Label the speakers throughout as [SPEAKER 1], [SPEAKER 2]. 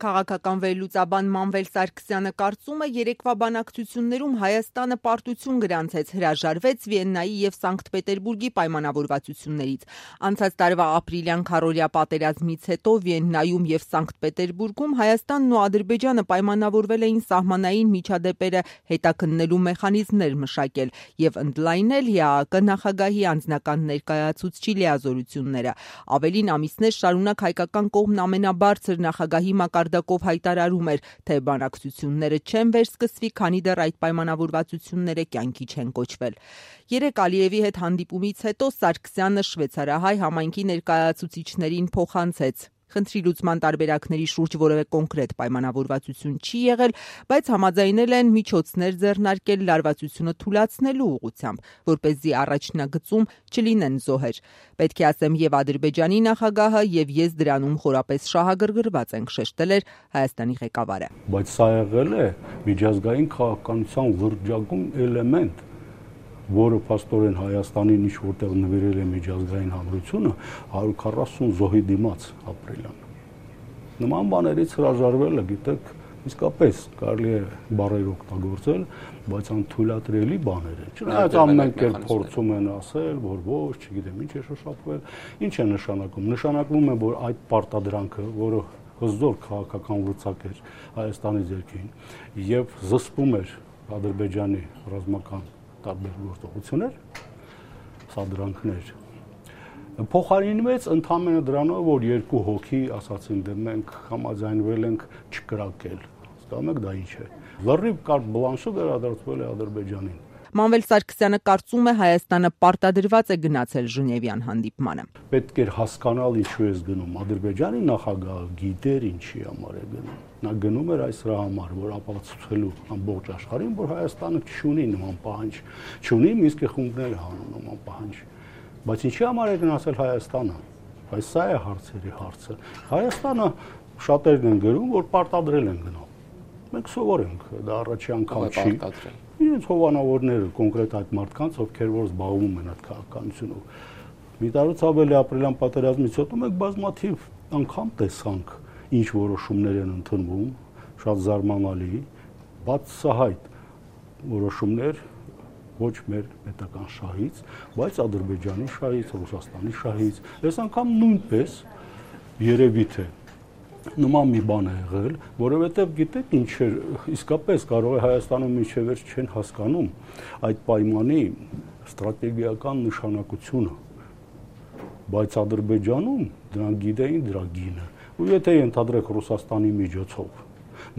[SPEAKER 1] Քաղաքական վերլուծաբան Մանվել Սարգսյանը կարծում է, երեկվա բանակցություններում Հայաստանը պարտություն գրանցեց, հրաժարվեց Վիեննայի և Սանկտ Պետերբուրգի պայմանավորվածություններից։ Անցած տարվա ապրիլյան քառօրյա պատերազմից հետո Վիեննայում և Սանկտ Պետերբուրգում Հայաստանն ու Ադրբեջանը պայմանավորվել էին սահմանային միջադեպերը հետաքննելու մեխանիզմներ մշակել և ընդլայնել ՀԱԱԿ նախագահի անձնական ներկայացուցչի լիազորությունները։ Ավելին, ամիսներ շարունակ հայկական կողմն ամենաբարձր նախագահի մակարդակով հայտարարում էր, թե բանակցությունները չեն վերսկսվի, քանի դեռ այդ պայմանավորվածությունները կյանքի չեն կոչվել։ Երեկ Ալիևի հետ հանդիպումից հետո Սարգսյանը շվեյցարահայ համայնքի ներկայացուցիչներին փոխանցեց. Խնդրի լուծման տարբերակների շուրջ որևէ կոնկրետ պայմանավորվածություն չի եղել, բայց համաձայնել են միջոցներ ձեռնարկել լարվածությունը թուլացնելու ուղղությամբ, որպեսզի առաջնագծում չլինեն զոհեր։ Պետք է ասեմ, եւ Ադրբեջանի նախագահը, եւ ես դրանում խորապես շահագրգռված ենք, շեշտել էր Հայաստանի ղեկավարը։
[SPEAKER 2] Բայց սա եղել է միջազգային քաղաքականության վրջակում էլեմենտ, որը փաստորեն Հայաստանին ինչ որտեղ նվիրել է միջազգային հանրությունը 140 զոհի դիմաց ապրիլյան։ Նման բաներից հրաժարվելը, գիտեք, իսկապես կարելի է բառեր օգտագործել, բայց անթույլատրելի բաներ են։ Չնայած ամեն կերպ փորձում են ասել, որ ոչ, չգիտեմ ինչ է շոշափվել, ինչ է նշանակում։ Նշանակում է, որ այդ պարտադրանքը, որը հզոր քաղաքական լծակ էր Հայաստանի ձեռքին եւ զսպում էր Ադրբեջանի ռազմական տարբեր գործողություններ, սադրանքներ, փոխարինվեց ընդհանրապես դրանով, որ երկու հոգի ասացին, դե մենք համաձայնվել ենք չկրակել։ Հասկանում եք դա ինչ է։ Լրիվ կարտ բլանշը վերադարձվել է Ադրբեջանին։
[SPEAKER 1] Մանվել Սարգսյանը կարծում է, Հայաստանը պարտադրված է գնացել Ժնևյան հանդիպմանը։
[SPEAKER 2] Պետք էր հասկանալ ինչու է գնում։ Ադրբեջանի նախագահը գիտեր ինչի համար է գնում։ Նա գնում էր այս համար, որ ապացուցելու ամբողջ աշխարհին, որ Հայաստանը չունի նման պահանջ, չունի Մինսկի խումբները հանում նման պահանջ։ Բայց ինչի համար է գնացել Հայաստանը։ Բայց սա է հարցերի հարցը։ Հայաստանը շատերն են գրում, որ պարտադրել են գնալ։ Մենք սովոր ենք, դա առաջի անգամ չի։ Իրենց հովանավորները կոնկրետ այդ մարդկանց, ովքեր որ զբաղվում են այդ քաղաքականությունով։ Մի տարուց ավելի ապրիլյան պատերազմից հետո մենք բազմաթիվ անգամ տեսանք, ինչ որոշումներ են ընդունվում, շատ զարմանալի, բացահայտ որոշումներ ոչ մեր պետական շահից, բայց Ադրբեջանի շահից, Ռուսաստանի շահից։ Այս անգամ նույնպես երևի թե նման մի բան է եղել, որովհետև գիտեք ինչ է, իսկապես կարող է Հայաստանում մինչև վերջ չեն հասկանում այդ պայմանի ստրատեգիական նշանակությունը, բայց Ադրբեջանում դրանք գիտեին դրա գինը, ու եթե ենթադրեք Ռուսաստանի միջոցով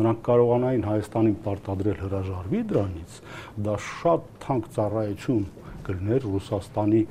[SPEAKER 2] նրանք կարողանային Հայաստանին պարտադրել հրաժարվի դրանից, դա շատ թանկ ծառայություն կլիներ Ռուսաստանի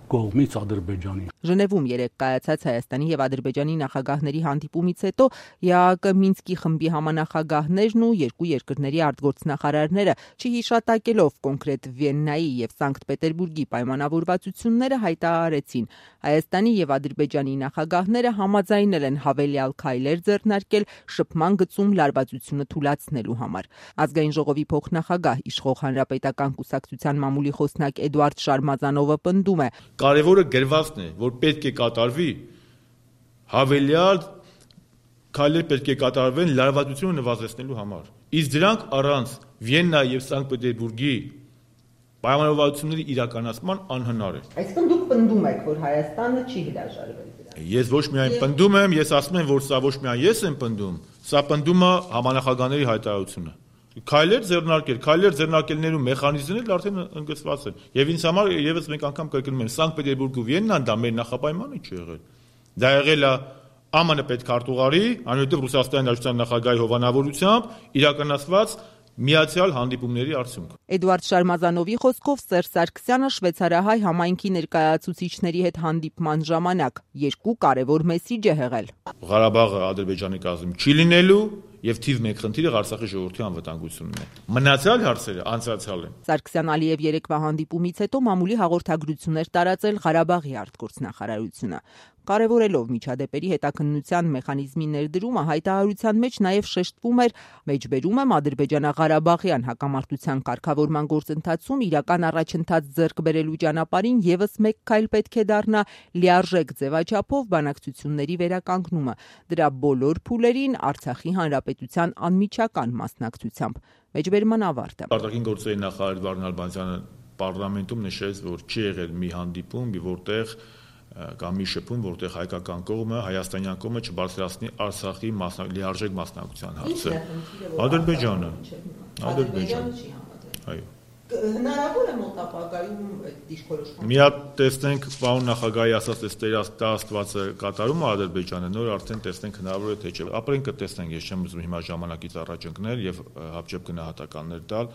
[SPEAKER 2] կողմից Ադրբեջանին։
[SPEAKER 1] Ժնևում երեկ կայացած Հայաստանի եւ Ադրբեջանի նախագահների հանդիպումից հետո ՀԱԱԿ Մինսկի խմբի համանախագահներն ու երկու երկրների արտգործնախարարները, չհիշատակելով կոնկրետ Վիեննայի եւ Սանկտ Պետերբուրգի պայմանավորվածությունները, հայտարարեցին. Հայաստանի եւ Ադրբեջանի նախագահները համաձայնել են հավելյալ քայլեր ձեռնարկել շփման գծում լարվածությունը թուլացնելու համար։ Ազգային ժողովի փոխնախագահ, իշխող Հանրապետական կուսակցության մամուլի խոսնակ Էդուարդ Շարմազանովը պնդում է.
[SPEAKER 3] Կարևորը գրվածն է, որ պետք է կատարվի հավելյալ քայլեր պետք է կատարվեն լարվածությունը նվազեցնելու համար։ Իսկ դրանք առանց Վիեննայի եւ Սանկտ Պետերբուրգի պայմանավորվածությունների իրականացման անհնար է։
[SPEAKER 1] Այսինքն դուք պնդում եք, որ Հայաստանը չի հրաժարվել դրանից։
[SPEAKER 3] Ես ոչ միայն պնդում եմ, ես ասում եմ, որ սա ոչ միայն ես եմ պնդում, սա պնդում է համանախագահների հայտարարությունը։ Քայլեր ձեռնարկելու մեխանիզմներն արդեն ընդգծված են։ Եվ ինձ համար եւս մեկ անգամ կրկնում եմ, Սանկտ Պետերբուրգը ու Վիեննան դա մեր նախապայմանը չի եղել։ Դա եղել է ԱՄՆ պետքարտուղարի, այնուհետև Ռուսաստանի Դաշնության նախագահի հովանավորությամբ իրականացված միացյալ հանդիպումների արդյունք։
[SPEAKER 1] Էդուարդ Շարմազանովի խոսքով Սերժ Սարգսյանը շվեյցարահայ համայնքի ներկայացուցիչների հետ հանդիպման ժամանակ երկու կարևոր մեսիջ է հղել։
[SPEAKER 3] Ղարաբաղը Ադրբեջանի կազմում չի լինելու եւ թիվ 1 խնդիրը Արցախի ժողովրդի անվտանգությունն է։ Մնացյալ հարցերը անցյալ են։
[SPEAKER 1] Սարգսյան-Ալիև երեկվա հանդիպումից հետո մամուլի հաղորդագրություններ տարածել Ղարաբաղի արտգործնախարարությունը։ Կարևորելով միջադեպերի հետաքննության մեխանիզմի ներդրումը, հայտարարության մեջ նաև շեշտվում էր, մեջբերում եմ ադրբեջանա-ղարաբաղյան հակամարտության կարգավորման գործընթացում իրական առաջընթաց ձեռք բերելու ճանապարհին եւս մեկ քայլ պետք է դառնա լիարժեք ձևաչափով բանակցությունների վերականգնումը, դրա բոլոր փուլերին Արցախի հանրապետության անմիջական մասնակցությամբ։ Մեջբերման ավարտը։
[SPEAKER 3] Արտաքին գործերի նախարար Վարդան Նալբանդյանը պարլամենտում նշեց, որ չի եղել մի հանդիպում, որտեղ կամ մի շփում, որտեղ հայկական կողմը, հայաստանյան կողմը չբարձրացնի Արցախի լիարժեք մասնակցության հարցը։ Ադրբեջանը։ Այո։
[SPEAKER 1] Հնարավոր է մոտ ապագայում այդ դիրքորոշումը։
[SPEAKER 3] Մի հատ տեսնենք, պարոն նախագահի ասած Տեր Աստվածը կատարում է Ադրբեջանը, նոր արդեն տեսնենք հնարավոր է թե չէ։ Ապրենք կտեսնենք, ես չեմ ուզում հիմա ժամանակից առաջ ընկնել եւ հապճեպ գնահատականներ տալ։